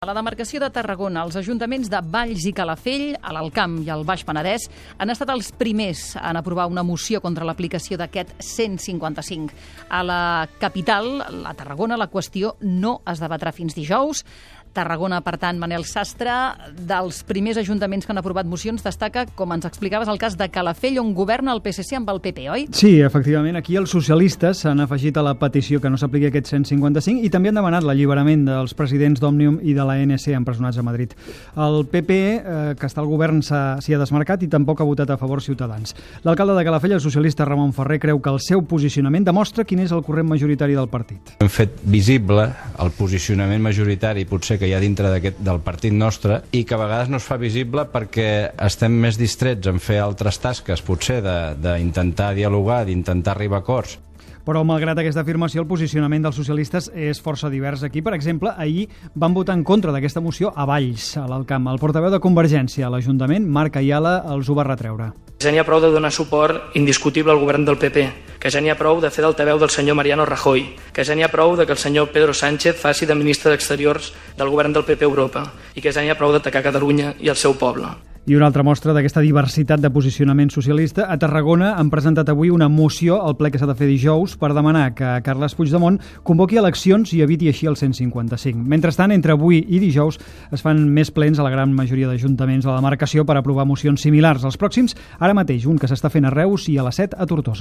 A la demarcació de Tarragona, els ajuntaments de Valls i Calafell, a l'Alt Camp i al Baix Penedès, han estat els primers en aprovar una moció contra l'aplicació d'aquest 155. A la capital, a Tarragona, la qüestió no es debatrà fins dijous. Tarragona, per tant, Manel Sastre, dels primers ajuntaments que han aprovat mocions, destaca, com ens explicaves, el cas de Calafell, on governa el PSC amb el PP, oi? Sí, efectivament. Aquí els socialistes s'han afegit a la petició que no s'apliqui aquest 155 i també han demanat l'alliberament dels presidents d'Òmnium i de l'ANC empresonats a Madrid. El PP, que està al govern, s'hi ha desmarcat i tampoc ha votat a favor Ciutadans. L'alcalde de Calafell, el socialista Ramon Ferrer, creu que el seu posicionament demostra quin és el corrent majoritari del partit. Hem fet visible el posicionament majoritari, potser que hi ha dintre del partit nostre, i que a vegades no es fa visible perquè estem més distrets en fer altres tasques, potser d'intentar dialogar, d'intentar arribar a acords. Però, malgrat aquesta afirmació, el posicionament dels socialistes és força divers aquí. Per exemple, ahir van votar en contra d'aquesta moció a Valls, a l'Alt Camp. El portaveu de Convergència a l'Ajuntament, Marc Ayala, els ho va retreure. Ja n'hi ha prou de donar suport indiscutible al govern del PP, que ja n'hi ha prou de fer d'altaveu del senyor Mariano Rajoy, que ja n'hi ha prou de que el senyor Pedro Sánchez faci de ministre d'Exteriors del govern del PP a Europa i que ja n'hi ha prou d'atacar Catalunya i el seu poble. I una altra mostra d'aquesta diversitat de posicionament socialista, a Tarragona han presentat avui una moció al ple que s'ha de fer dijous per demanar que Carles Puigdemont convoqui eleccions i eviti així el 155. Mentrestant, entre avui i dijous es fan més plens a la gran majoria d'ajuntaments de la demarcació per aprovar mocions similars. Els pròxims, ara mateix, un que s'està fent a Reus i a la 7 a Tortosa.